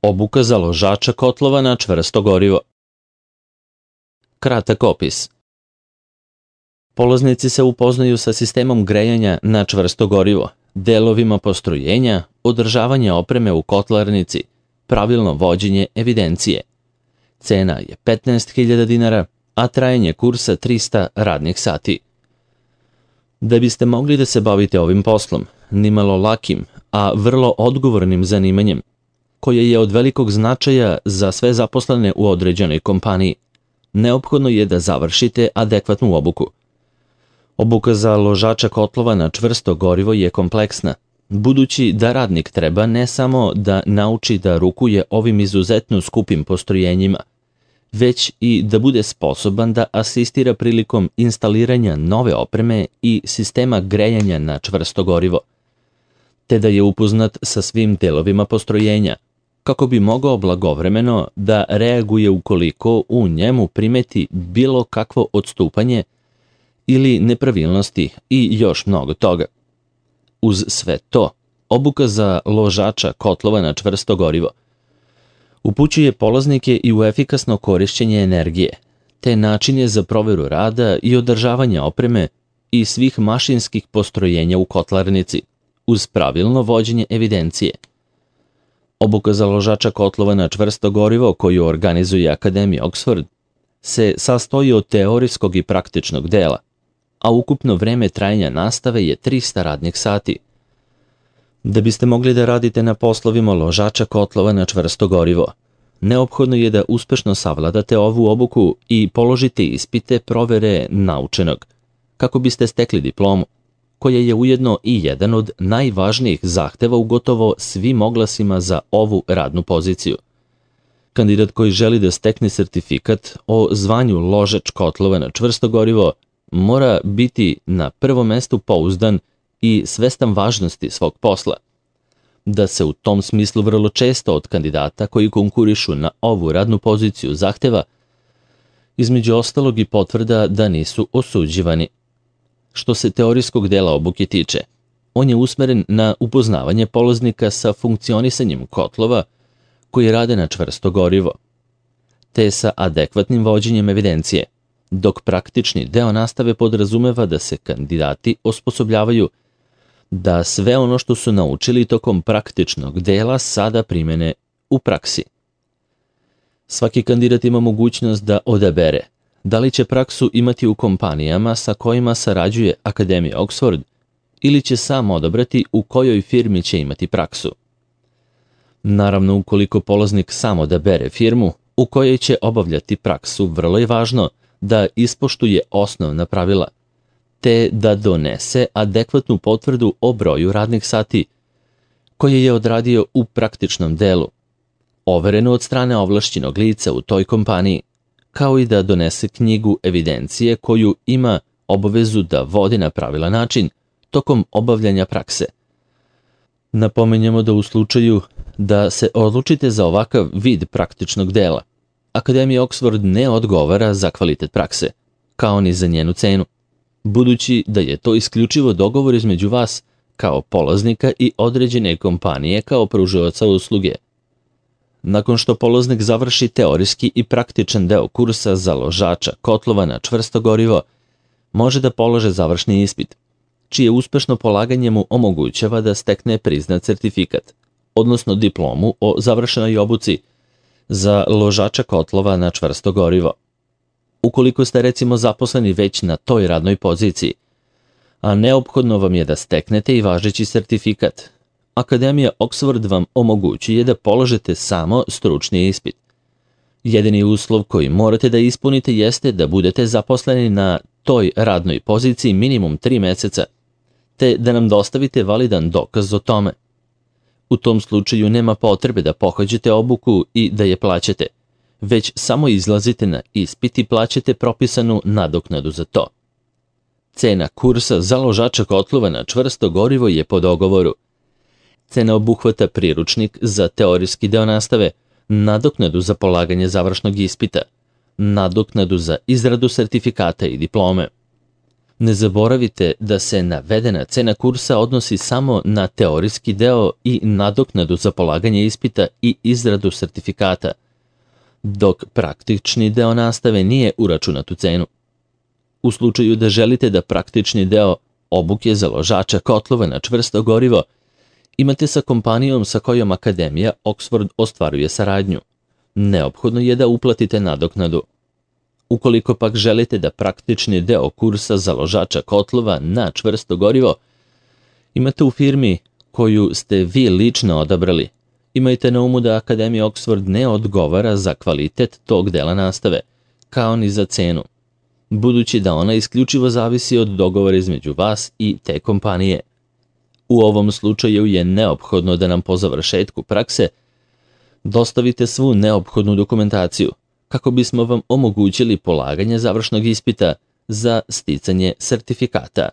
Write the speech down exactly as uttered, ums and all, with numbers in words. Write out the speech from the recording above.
Obuka za ložača kotlova na čvrsto gorivo. Kratak opis. Polaznici se upoznaju sa sistemom grejanja na čvrsto gorivo, delovima postrojenja, održavanje opreme u kotlarnici, pravilno vođenje evidencije. Cena je petnaest hiljada dinara, a trajanje kursa trista radnih sati. Da biste mogli da se bavite ovim poslom, nimalo lakim, a vrlo odgovornim zanimanjem, koje je od velikog značaja za sve zaposlene u određenoj kompaniji, neophodno je da završite adekvatnu obuku. Obuka za ložača kotlova na čvrsto gorivo je kompleksna, budući da radnik treba ne samo da nauči da rukuje ovim izuzetno skupim postrojenjima, već i da bude sposoban da asistira prilikom instaliranja nove opreme i sistema grejanja na čvrsto gorivo, te da je upoznat sa svim delovima postrojenja, kako bi mogao blagovremeno da reaguje ukoliko u njemu primeti bilo kakvo odstupanje ili nepravilnosti i još mnogo toga. Uz sve to, obuka za ložača kotlova na čvrsto gorivo upućuje polaznike i u efikasno korišćenje energije, te načine za proveru rada i održavanje opreme i svih mašinskih postrojenja u kotlarnici, uz pravilno vođenje evidencije. Obuka za ložača kotlova na čvrsto gorivo koju organizuje Akademija Oxford se sastoji od teorijskog i praktičnog dela, a ukupno vreme trajanja nastave je trista radnih sati. Da biste mogli da radite na poslovima ložača kotlova na čvrsto gorivo, neophodno je da uspešno savladate ovu obuku i položite ispite provere naučenog, kako biste stekli diplomu, koja je ujedno i jedan od najvažnijih zahteva u gotovo svim oglasima za ovu radnu poziciju. Kandidat koji želi da stekne sertifikat o zvanju ložač kotlova na čvrsto gorivo mora biti na prvom mestu pouzdan i svestan važnosti svog posla. Da se u tom smislu vrlo često od kandidata koji konkurišu na ovu radnu poziciju zahteva, između ostalog i potvrda da nisu osuđivani. Što se teorijskog dela obuke tiče, on je usmeren na upoznavanje polaznika sa funkcionisanjem kotlova koji rade na čvrsto gorivo, te sa adekvatnim vođenjem evidencije, dok praktični deo nastave podrazumeva da se kandidati osposobljavaju da sve ono što su naučili tokom praktičnog dela sada primene u praksi. Svaki kandidat ima mogućnost da odabere da li će praksu imati u kompanijama sa kojima sarađuje Akademija Oxford ili će sam odabrati u kojoj firmi će imati praksu. Naravno, ukoliko polaznik sam odabere firmu u kojoj će obavljati praksu, vrlo je važno da ispoštuje osnovna pravila, te da donese adekvatnu potvrdu o broju radnih sati koje je odradio u praktičnom delu, overenu od strane ovlašćenog lica u toj kompaniji, kao i da donese knjigu evidencije koju ima obavezu da vodi na pravilan način tokom obavljanja prakse. Napominjemo da u slučaju da se odlučite za ovakav vid praktičnog dela, Akademija Oxford ne odgovara za kvalitet prakse, kao ni za njenu cenu, budući da je to isključivo dogovor između vas kao polaznika i određene kompanije kao pružaoca usluge. Nakon što polaznik završi teorijski i praktičan deo kursa za ložača kotlova na čvrsto gorivo, može da polože završni ispit, čije uspešno polaganje mu omogućava da stekne priznat sertifikat, odnosno diplomu o završenoj obuci za ložača kotlova na čvrsto gorivo. Ukoliko ste recimo zaposleni već na toj radnoj poziciji, a neophodno vam je da steknete i važeći sertifikat, Akademija Oxford vam omogućuje da položite samo stručni ispit. Jedini uslov koji morate da ispunite jeste da budete zaposleni na toj radnoj poziciji minimum tri meseca, te da nam dostavite validan dokaz o tome. U tom slučaju nema potrebe da pohađate obuku i da je plaćate, već samo izlazite na ispit i plaćate propisanu nadoknadu za to. Cena kursa za ložača kotlova na čvrsto gorivo je po dogovoru. Cena obuhvata priručnik za teorijski deo nastave, nadoknadu za polaganje završnog ispita, nadoknadu za izradu sertifikata i diplome. Ne zaboravite da se navedena cena kursa odnosi samo na teorijski deo i nadoknadu za polaganje ispita i izradu sertifikata, dok praktični deo nastave nije uračunat u cenu. U slučaju da želite da praktični deo obuke za ložača kotlova na čvrsto gorivo imate sa kompanijom sa kojom Akademija Oxford ostvaruje saradnju, neophodno je da uplatite nadoknadu. Ukoliko pak želite da praktični deo kursa za ložača kotlova na čvrsto gorivo imate u firmi koju ste vi lično odabrali, imajte na umu da Akademija Oxford ne odgovara za kvalitet tog dela nastave, kao ni za cenu, budući da ona isključivo zavisi od dogovora između vas i te kompanije. U ovom slučaju je neophodno da nam po završetku prakse dostavite svu neophodnu dokumentaciju, kako bismo vam omogućili polaganje završnog ispita za sticanje sertifikata.